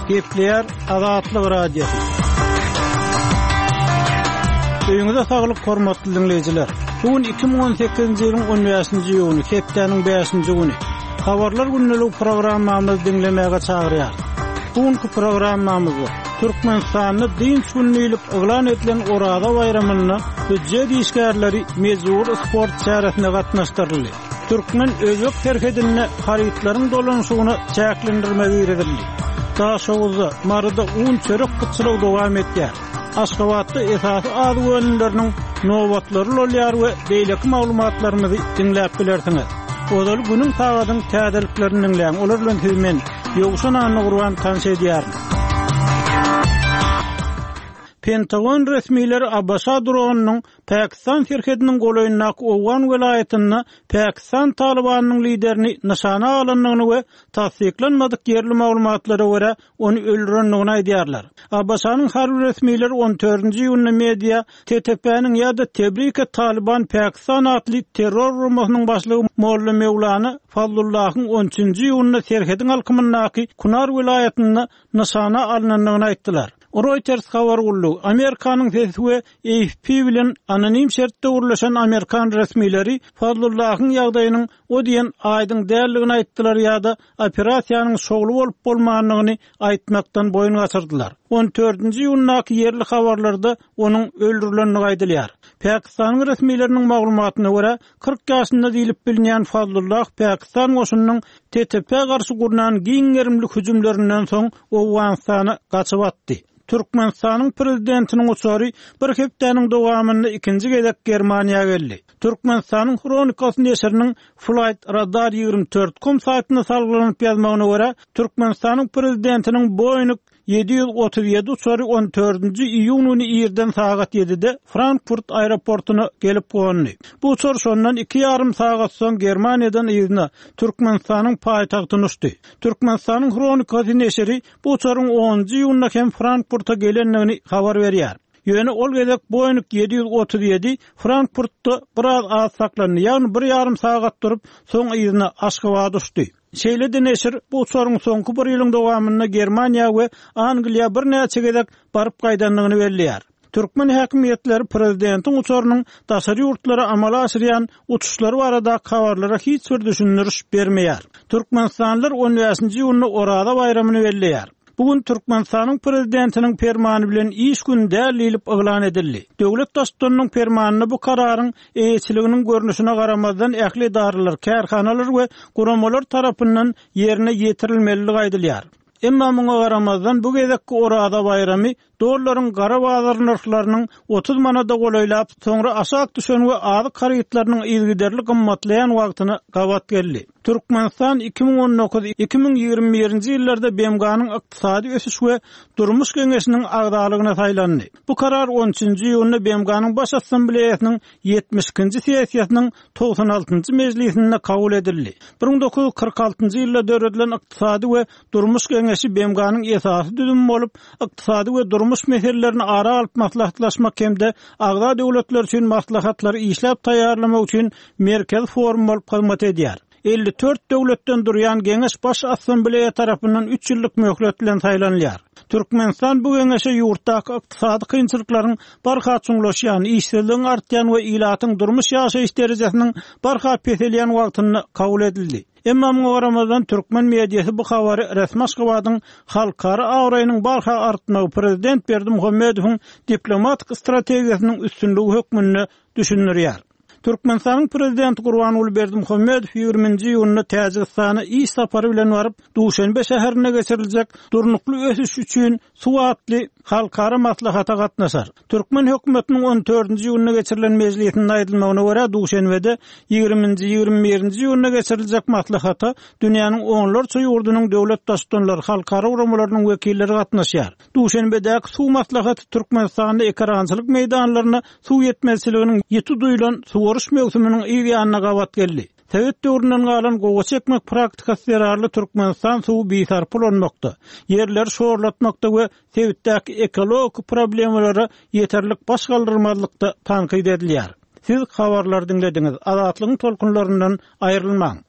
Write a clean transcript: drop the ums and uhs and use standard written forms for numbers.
Gepleýär Azatlyk Radiosy. Öýüňize saglyk hormatly diňleýjiler. Bu gün 2018-nji ýylyň 15-nji iýuny, hepdäniň 5-nji güni. Habarlar gündelik programmamyzy diňlemäge çagyrýarys. Bu günki programmamyzda Türkmenistanda dynç güni diýlip yglan edilen Oraza baýramynda býujet işgärleri mejbury sport çäresine gatnaşdyryldy. Türkmen-özbek serhedinde harytlaryň dolanyşygyna çäklendirme girizildi. Daşoguzda, Maryda un-çörek gytçylygy dowam edýär. Aşgabatda esasy azyk önümleriniň nobatlary ulalýar we beýleki maglumatlarymyzy diňläp bilersiňiz. Ozaly günüň sagadyň täzeliklerini diňläň, olar bilen sizi men, Ýowşan Annagurban tanyş edýärin. Pentagon resmileri ABŞ dronynyň Pakistan serhediniň golaýyndaky Owgan welaýatynda Pakistan Talybanynyň liderini nyşana alandygyny we tassyklanmadyk ýerli maglumatlara görä, ony öldürendigini aýdýarlar. ABŞ-nyň harby resmileri on dördünji iýunda media TTP-niň ýa-da Tebrike Talyban Pakistan atly terror guramasynyň başlygy Molla Mewlana Fazlullahyň on üçünji iýunda serhediň alkymyndaky Kunar welaýatynda nyşana alnandygyny aýtdylar. Reuters habar gullugy, Amerikanyň Sesi we AFP bilen anonim şertde gürleşen amerikan resmileri Fazlullahyň ýagdaýynyň o diýen aýdyň däldigini aýtdylar ýa-da operasiýanyň şowly bolup-bolmandygyny aýtmakdan boýun gaçyrdylar. On dördünji iýundaky ýerli habarlarda onuň öldürilendigi aýdylýar. Pakistanyň resmileriniň maglumatyna görä, 40 ýaşynda diýlip bilinýän Fazlullah Pakistan goşunynyň TTP-ä garşy gurnan giň gerimli hüjümlerinden soň Owganystana gaçyp atdy. Türkmenistanyň Prezidentiniň uçary bir hepdäniň dowamynda ikinji gezek Germaniýa geldi. Türkmenistanyň Hronikasy neşiriniň Flight Radar 24 com saýtyna salgylanyp ýazmagyna görä, Türkmenistanyň Prezidentiniň Boeing 737 uçary on dördünji iýun güni irden sagat ýedide Frankfurt aeroportuna gelip gondy. Bu uçar şondan iki ýarym sagat soň Germaniýadan yzyna, Türkmenistanyň paýtagtyna uçdy. Türkmenistanyň Hronikasy neşiri bu uçaryň onunjy iýunda hem Frankfurta gelendigini habar berýär. Ýöne ol gezek Boeing 737 Frankfurtda biraz az saklandy, ýagny bir ýarym sagat durup, soň yzyna, Aşgabada uçdy. Şeýle-de neşir bu uçaryň soňky bir ýylyň dowamynda Germaniýa we Angliýa birnäçe gezek baryp gaýdandygyny belleýär. Türkmen häkimiýetleri prezidentiň uçarynyň daşary ýurtlara amala aşyrýan uçuşlary baradaky habarlara hiç bir düşündiriş bermeýär. Türkmenistanlylar on bäşinji iýunda Oraza baýramyny belleýär. Bu gün Türkmenistanyň Prezidentiniň Permany bilen iş güni däl diýlip yglan edildi. Döwlet Baştutanynyň Permanynda bu kararyň eýeçiliginiň görnüşine garamazdan ähli edaralar, kärhanalar we guramalar tarapyndan ýerine ýetirilmelidigi aýdylýar. Emma muňa garamazdan bu gezekki Oraza baýramy Dollaryň gara bazar nyrhlarynyň 30 manada golaýlap, soňra aşak düşen we azyk harytlarynyň yzygiderli gymmatlaýan wagtyna gabat geldi. Türkmenistan 2019, 2021-nji ýyllarda BMG-niň Ykdysady ösüş we durmuş geňeşiniň agzalygyna saýlandy. Bu karar on üçünji iýunda BMG-niň Baş Assambleýasynyň ýetmiş ikinji sessiýasynyň 96-njy mejlisinde kabul edildi. 1946-njy ýylda döredilen Ykdysady we Durmuş geňeşi BMG-niň esasy düzümi bolup, ykdysady we durmuş meselelerini ara alyp maslahatlaşmak hem-de agza döwletler üçin maslahatlary işläp taýýarlamak üçin merkezi forum bolup hyzmat edýär. 54 döwletden durýan geňeş Baş Assambleýa tarapyndan üç ýyllyk möhlet bilen saýlanylýar. Türkmenistan bu geňeşe ýurtdaky ykdysady kynçylyklaryň barha çuňlaşýan, işsizligiň artýan we ilatyň durmuş-ýaşaýyş derejesiniň barha peselýän wagtynda kabul edildi. Emma muňa garamazdan, türkmen mediasy bu habary resmi Aşgabadyň halkara abraýynyň barha artmagy, prezident Berdimuhamedowyň diplomatik strategiýasynyň üstünligi hökmünde düşündirýär. Türkmenistanyň Prezidenti Gurbanguly Berdimuhamedow ýigriminji iýunda Täjigistana iş sapary bilen baryp, Duşenbe şäherinde geçiriljek Durnukly ösüş üçin suw atly halkara maslahata gatnaşar. Türkmen hökümetiniň on dördünji iýunda geçirilen mejlisinde aýdylmagyna görä, Duşenbede ýigriminji, ýigrimi birinji iýunda geçiriljek maslahata dünýäniň onlarça ýurdunyň döwlet Baştutanlary, halkara guramalarynyň wekilleri gatnaşýar. Duşenbedäki suw maslahaty Türkmenistanda ekerançylyk meýdanlaryna suw ýetmezçiliginiň ýiti duýlan suwaryş möwsüminiň yz ýanyna gabat geldi. Sowet döwründen galan gowaça ekmek praktikasy zerarly Türkmenistan suwy bisarpa ulanmakda, ýerleri şorlatmakda we sebitdäki ekologik problemalara ýeterlik baş galdyrmazlykda tankyt edilýär. Siz habarlary diňlediňiz. Azatlygyň tolkunlaryndan aýrylmaň!